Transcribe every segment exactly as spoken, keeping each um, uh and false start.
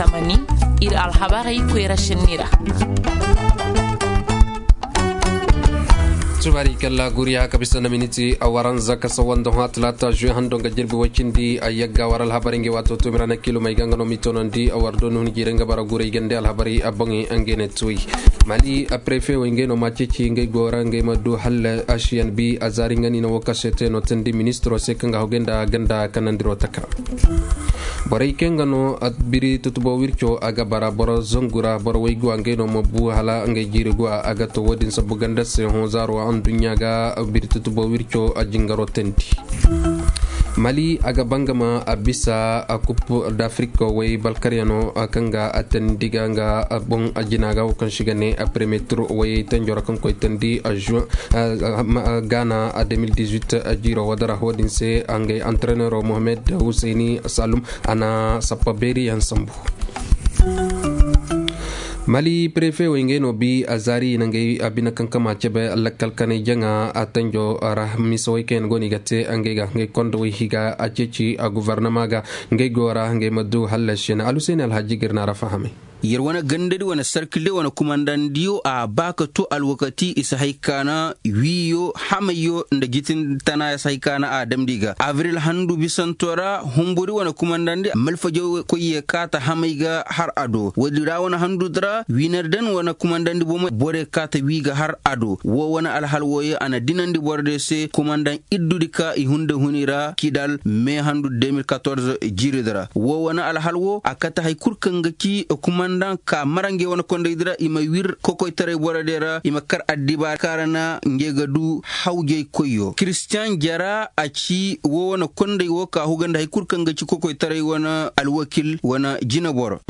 Tamani, ir alhabarey koyra senni ra. Subaari kalla guriya ka bisa na miniti a waranza ka sawa nda hõ a talaata juwe hando nga jirbi way cindi a yagga war alhabarey ngey waato toomira na kiilum ay ga nga no m'i toonandi a war dooni hun jiirey nga bara gurey gande alhabarey a boŋey ngey ne tuwey. Mali a prefe wey ngey no ma ceeci ngey go ra ngey ma du halla asiyan bi a zaari nga ni na wo ka se te no teendi ministiro se kaŋ ga hogey nda ganda kanandiro taka. Borey kaŋ ga no a biri tutubo wirco a ga bara boro zangu ra boro wayguwa ngey no ma bu hala ngey jiiri guwa a ga to wo-din sabu ganda se hõ zaaro adduɲɲa ga. Biri tutubo wirco a jingaro teendi. Mali a ga bangama a bisa a kup d'afrik way balkaryano kaŋ ga a teendi ga nga boŋ a jina ga wo kaŋ si ga ne a premiyetir wayey tenjo ra kaŋ koy teendi a juin. Gaana a deux mille dix-huit jiiro wadara wo-din se a ngay antrenero mohamed huseyni salum a na sappa beeriyaŋ sambu. Mali prefe wey ngey no bi a zaari i na ngey a bine kaŋ kama cebe lakkal kanay jaŋa a tenjo ra misawey kaŋ yaŋ go no i ga te ngey ga ngey kondowey higa a ceeci a guvarnama ga ngey go ra ngey ma du hallasi na alhuseyni alhaji ga ir na ra fahamay. Yer wane gandadi wane sarkilde wane kumandandiyo a ba ka to alwakati i si hay ka na wiiyo hamayyo nda jitin tana ya si hay ka na a damndi ga abril handu bisanto ra humburi wane kumandandi malfajo koy ye kaata hamay ga har a do woodi ra wane handudi ra wiinar dan wane kumandandi bomo boro ye kaata wii ga har a do woo wane alhal wooyo a na dinandi borodiyo se kumandan iddudi ka i hunde huni ra kidal mee handu deux mille quatorze jiiridi ra woo wane alhal woo a kate hay kul kaŋ ga ci kumandan ka mara ngey wane kondaydi ra i ma wir kokoytaray borodiyo ra i ma kar addibaara kaŋ ra na ngey ga du hawjay koyyo kiristiyaŋ jara a ci woo wane konday woo ka huga nda hay kul kaŋ ga ci kokoytaray wane alwakil wane jineboro.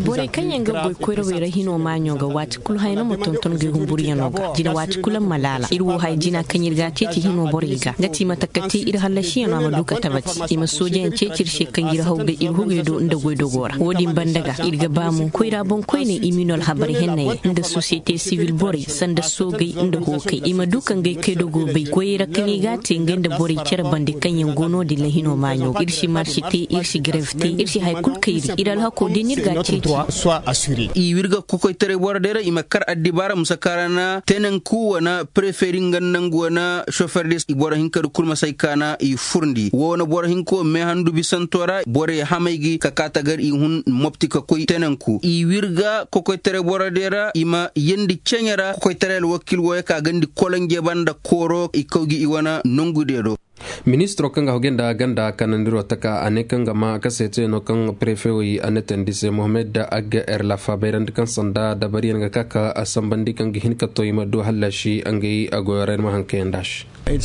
Borey kaŋ yaŋ ga goy koyrawey ra hino maaɲo ga waati kul haya no ma tonton ga i humburiyaŋo ga jina waati kul a ma laala ir wo haya jina kaŋ ir ga a ceeci hino borey ga nga ti mate ka te ir hallasiyaŋo a ma du ka tabati i ma soojayaŋ ceeci ir se kaŋ ir haw ga ir hugey do nda goydogo ra wo-din banda ga ir ga ba mo koyra boŋkoyney i ma i no alhabar hennayaŋ nda sosiyete sibil borey sanda soogey nda hookey i ma du ka ngey kaydogo bay goyey ra kaŋ i ga a te ngey nda borey cere bande kaŋ yaŋ go no-din ra hino maaɲo ir si marsi te ir si grev te ir si haya kul kayri ir alhako da ni ir ga a ceeci. I wirga kokoytaray boro day ra i ma kar addibaara musa kaŋ ra na tenanku wane preferi nga nangu wane sofer de i boro hinka di kul ma say ka na i furndi wo wane boro hinka wo meehandu bisanto ra borey hamay gi ka ka tagar i hun mopti ka koy tenanku i wirga kokoytaray boro day ra i ma yeendi ceɲe ra kokoytaray alwakil wooyo ka gandi kolonje banda kooro i kaw gi i wane nongu de do. Ministiro kaŋ ga hogey nda ganda kanandiro taka a ne kaŋ ga ma kaseetayano kaŋ prefewey a ne teendi se mohamed agga er lafa bayrandi kaŋ sanda dabariyaŋ ga ka ka a sambandi kaŋ ga hin ka to i ma du hallasi ngey goyo ra ir ma haŋ kayandi a se. I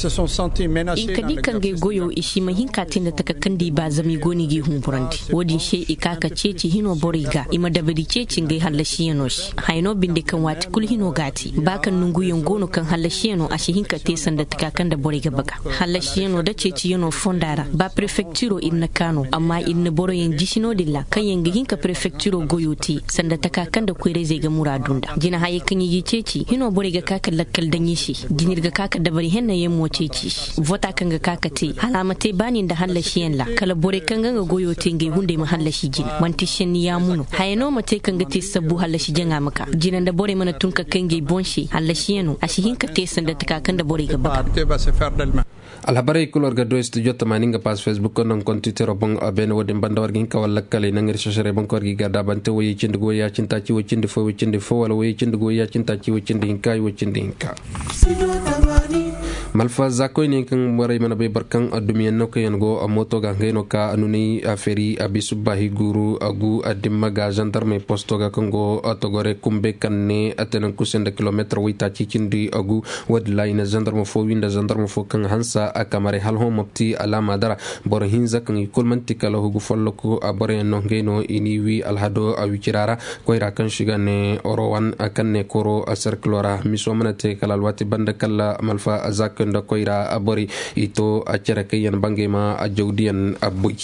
ka di kaŋ gay goyo i si ma hin ka te nda taka kaŋ da i ba zama i go no i g'i humburandi wo-din se i ka ka ceeci hino borey ga i ma dabari ceeci ngey hallasiyaŋo se. Haya no binde kaŋ waati kul hino ga a te ba kaŋ nonguyaŋ go no kaŋ hallasiyaŋo a si hin ka te sanda taka kaŋ nda borey ga baga. Hallasiyaŋo nda ceeciyaŋo fonda ra ba prefektiro ir na ka no amma ir na boroyaŋ jisi no-din ra kaŋ yaŋ ga hin ka prefektiro goyo te sanda taka kaŋ nda koyrayzey ga muraadu nda jina hayey kaŋ i g'i ceeci hino borey ga ka ka lakkal daŋ i se. Jina ir ga ka ka dabari hennayaŋ mo ceeci i se vota kaŋ ga ka ka te hala a ma te baani nda hallasiyaŋ ra kala borey kaŋ ga nga goyo te ngey hunday ma hallasi jina man'ti senni yaamu no. Haya no ma te kaŋ ga te sabbu hallasi jaŋa ma ka jina nda borey mana tun ka kay ngey boŋ se hallasiyaŋo a si hin ka te sanda taka kaŋ nda borey ga baga. Alhabarey kul war ga du studio tamaani nga paas facebook nda nga kontitero boŋ beene wo-din banda war ga hin ka war lakkaley naŋ ir sosarey boŋ kaŋ war g'i garda bante woyey cindi ga woyey a cindi taaci woy cindi fo woy cindi fo wala woyey cindi ga woyey a cindi taaci woy cindi hinka ay woy cindi hinka. Malfa za koyne kaŋ borey mana bay boro kaŋ addumiyaŋ no kaŋ yaŋ go mooto ga ngey no ka nunay a feri a bi subba hi guuru a gu a dimma ga zandarmey posto ga kaŋ go togore kumbe kaŋ ne a tenanku se nda kilomeetar woy taaci cindi a gu. Wo-din ra i na zandarma fo wi nda zandarma fo kaŋ hanse a kamarey hala hõ mopti alaama dara. Boro hinza kaŋ i kulu man'ti kala hugu folloku a boroyaŋ no ngey no i n'i wi alhado a wicira ra. Koyra kaŋ se i ga ne orowan kaŋ ne koro a serkilo ra miso mana te kala alwaati banda kala malfa zak nda koyra borey i to a cere kaŋ yaŋ bangey ma a jawdiyaŋ a boy.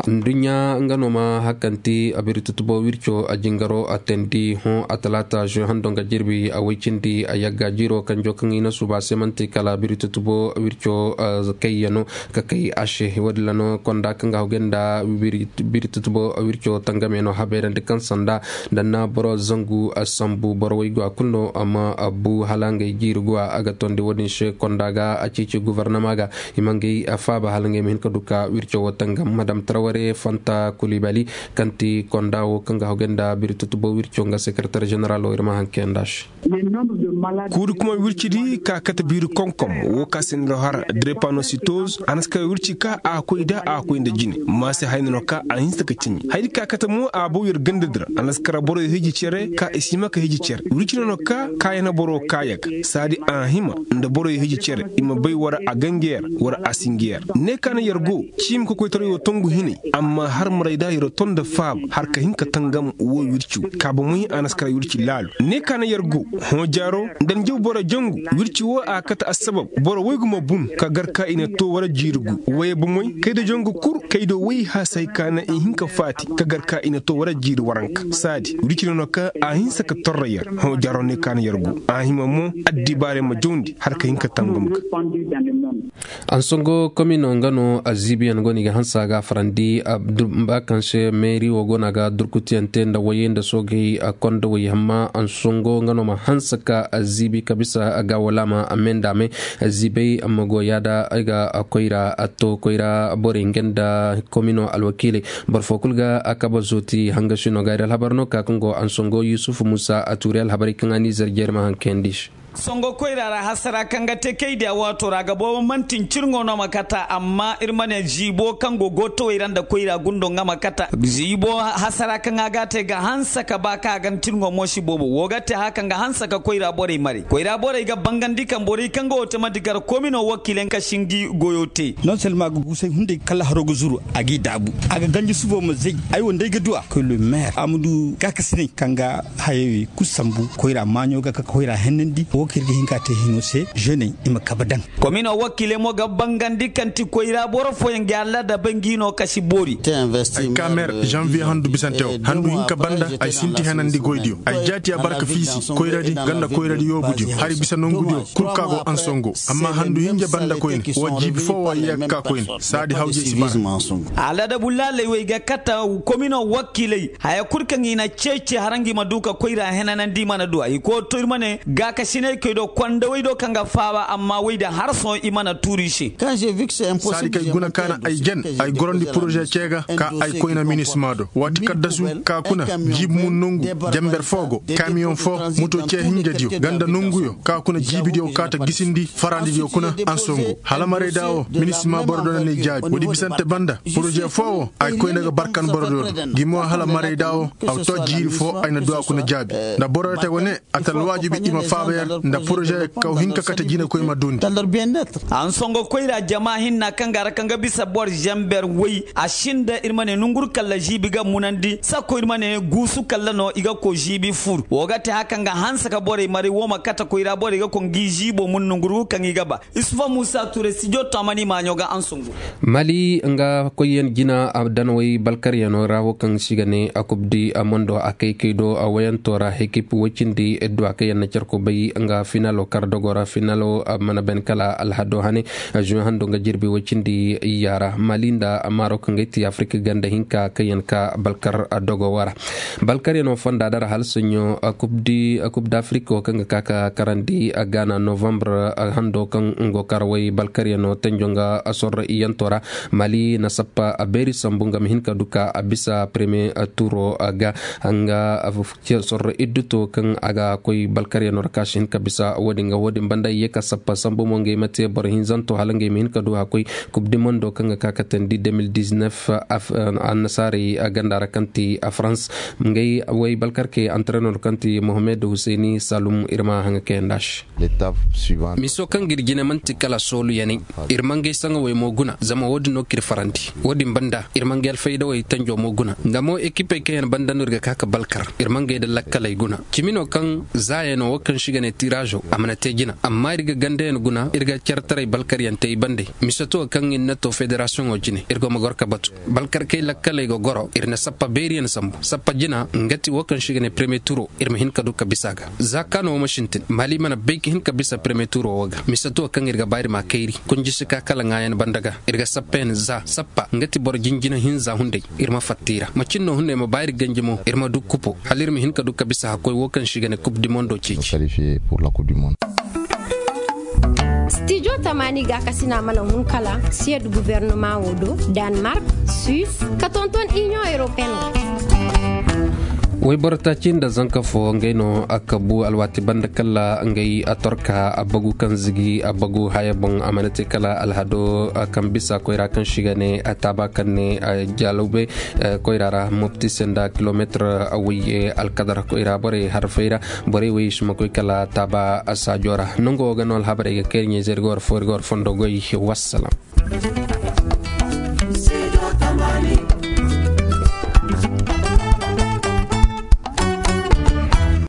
Adduɲɲa nga no ma hakanti a biri tutubo wirco a jingaro a teendi hõ a talaata žuwe hando nga jirbi a woy cindi a yagga jiiro kanjo kaŋ i na suuba se man'ti kala a biri tutubo wirco. Kayyano ka kay a se wo- din ra no konda kaŋ ga hawgay nda biri tutubo wirco tangamey no habayrandi kaŋ sanda nda na boro zangu sambu boro waygu a kulu no amma abbu hala ngey jiiri go a ga tondi wo- din se konda ga a ceeci gobornama ga i ma ngey faaba hala ngey ma hin ka du ka wirco wo tangam madam taraware fanta kulibali kaŋ ti konda wo kaŋ ga hawgay nda biri tutubo wirco nga sekaratar ženeral wo ir ma haŋ kayandi a se. Kuuri kuma wircidi ka kate biiri konkom wo ka sinda har drepanositoz a na si kara wirci ka a koy da a koy nda jine. Ma se hayna no ka a hinsa ka cimi haydi ka kate mo a bow yer gandadi ra a na si kara boroyo hiji cere ka i si hima ka hiji cere wirci no no ka kaayana boro kaayaga saadi a hima nda boroyo hiji cere i ma bay wara a gangeer wara a singeer ne ka na yer go ciimi kokoytaray wo tongu hinay. Amma har maray da yer ton nda faaba har ka hin ka tangam wo wirci wo ka ba moy a na si kara wirci laalu ne ka na yer go hõ jaaro nda njaw boro jangu wirci wo a kate assabab boro woy ga ma bun ka gar ka i na to wara jiiri gu woye bomoy kayda jangu kul kayda woy haasay ka na i hin ka faati ka gar ka i na to wara jiiri waranka saadi wirci no no ka a hinsa ka torra yer hõ jaaro ne ka na yer go a hima mo addibaarey ma jawndi har ka hin ka tangam ga. Ansongo komino nga no aziibiyaŋ go no i ga hansa ga farandi ba kaŋ se meeri wo go no a ga durkutiyaŋ te nda wayey nda soogey konda way amma ansongo nga no ma hansa ka aziibi ka bisa ga wala ma a me nda a me aziibey amma go yaada ay ga koyra a to koyra borey nga nda komino alwakiiley boro fo kulu ga a kaba zooti hangasi no ga ay da alhabar no ka kaŋ go ansongo yusuf musa a tuuri alhabarey kaŋ a n'i zarjey ir ma haŋ kayandi se. Songo koyra ra hasara kaŋ ga te kaydiya waato ra ga boobo manti ncirŋo no ma kata amma ir ma ne ziibo kaŋ go gootawey ra nda koyra gundo nga ma kata ziibo hasara kaŋ a ga a te ga hanse ka ba kaŋ a ga ncirŋo mo si boobo wo ga te haya kaŋ ga hanse ka koyra borey mare koyra borey ga bangandi kaŋ borey kaŋ ga wo te manti gar komino wakiiley kaŋ si ngi goyo te. Non selma ga guusay hunday kala haro ga zuru a g'i daabu a ga ganji subo ma zay. Ay wo nda ay ga du a koy le maire a ma du gaakasinay kaŋ ga hayey kulu sambu koyra maaɲo ga ka koyra hennandi wo kaŋ ir ga hin ka te hino se ženey i ma kabe daŋ. Komino wakiiley mo ga bangandi kaŋ ti koyra boro fooyaŋ ga allaada bay ngi no kasi boori. Ay ka mer janvier handu bisante wo handu hinka banda ay sinti henandi goydiyo ay jaati a barka fiisi koyradi ganda koyradi yoobudiyo hari bisa nongudiyo kul ka go ansongo amma handu hinja banda koyne wo jiibi foo wo ay yee ga ka koyne saadi hawjey si bara. Aladabu laaley wey ga kata komino wakiiley haya kul kaŋ i na ceeci hara ngi ma du ka koyra henanandi i mana du a i koo to ir ma ne gaakasiney kay do kondawey do kaŋ ga faaba amma wey din har sohõ i mana tuuri i se. Saadi kay guna ka na ay jen ay gorandi poroze ce ga ka ay koyna minisma do waati kaddasu ka kuna jiibi mun nongu jenber foo go kamiyoŋ foo moto ce hinjadiyo ganda nonguyo ka kuna jiibidiyo ka ta gisindi farandidiyo kuna ansongu hala marayda wo minisma boro do na ni jaabi woodi bisante banda poroze foo wo ay koyna ga barkan boro do do gi mo hala marayda wo aw to jiiri foo ay na du a kuna jaabi nda boro te wane a ta alwaajibi i ma faaba yer nda poroze kaw hinka kate jinekoy ma dundi. Ansongo koyra jama hinna kaŋ ga ra kaŋ ga bisa boro zamber woy a sinda ir ma ne nonguru kalla ziibi ga munandi sakko ir ma ne guusu kalla no i ga koy ziibi fur wo ga te haya kaŋ ga hanse ka borey maray wo ma kate koyra borey ga koy ngi ziibo mun nonguru kaŋ i ga ba. Isufa muusa ture studio tamani maaɲo ga ansongo. Mali nga koyyaŋ jina danawey balkaryaŋo ra wo kaŋ si ga ne a kubdi a mondo a kay kay do a wayanto ra hekip woy cindi edduwa kaŋ yaŋ na carko bay nga finalo kar dogo ra finalo mana ben kala alhado hane. Zuwe hando nga jirbi woy cindi iyya ra mali nda marok nga ti afirika ganda hinka kaŋ yaŋ ka balkar dogo wara balkaryaŋo fonda dara hala soɲo kubdi kubdi afirika wo kaŋ ga ka ka karandi gana novembre hando kaŋ ngo kar way balkaryaŋo tenjo nga sorro iyanto ra mali na sappa a beeri sambu nga ma hin ka du ka a bisa premier turo ga nga sorro idduto kaŋ a ga koy balkaryaŋo ra ka si hin ka bisa wo- din ga wo- din banda i ye ka sappa sambu mo ngey ma te boro hinzanto hala ngey ma hin ka du a koy kub di mondo kaŋ ga ka ka tandi deux mille dix-neuf annasaarey ganda ra kaŋ ti a farans. Ngey way balkarkey antrenor kaŋ ti mohamed huseyni salum ir ma haŋa kayanda se. Miso kaŋ ga ir jine man'ti kala soolu yanay. Ir ma ngey saŋawey mo guna zama wo- din no k'ir farandi. Wo- din banda ir ma ngey alfaydawey tanjo mo guna nda mo ekipey kaŋ yaŋ banda no ir ga ka ka balkar ir ma ngey nda lakkaley guna. Cimi no kaŋ zaayano wo kaŋ se i ga ne. Tiraazo a mana te jina amma ir ga gandayaŋ guna ir ga cartaray balkaryaŋ te i bande. Mise to kaŋ ir na to federasiyoŋo jine ir go ma goro ka batu balkarkey lakkaley ga goro ir na sappa beeriyaŋ sambu sappa jina nga ti wo kaŋ se i ga ne premiye turo ir ma hin ka du ka bisa a ga. Za kaano wo ma sintin maali mana bay ka hin ka bisa premiye turo wo ga mise to kaŋ ir ga ba ir ma a kayri. Kunji si ka kala ŋaayan banda ga ir ga sappa yaŋ za sappa nga ti boro jinjina hinza hunday. Ir ma fatta i ra macin no hunday ma ba ir ganji mo ir ma du kupo hala ir ma hin ka du ka bisa hakkoy wo kaŋ se i ga ne kub di mondo ceeci. Stijo tamaani gaakasina mana hun kala siyad guwernama wo do, danmark, suwis, ka tonton iniyoŋ europeen wo. Woyboro taaci nda zanka fo ngey no a kabu alwaati banda kala ngey a torka a bagu kaŋ zigi a bagu haya boŋ a mana te kala alhado kaŋ bisa koyra kaŋ se i ga ne a taaba kaŋ ne a jalawbe. Koyra ra mopti se nda kilometir woy alkadar koyra borey harfey ra. Borey woy si ma koy kala taaba saajo ra nango ga no alhabarey ga kay ir ɲeeze ir ga war fo ir ga war fondo goy. Wassalam.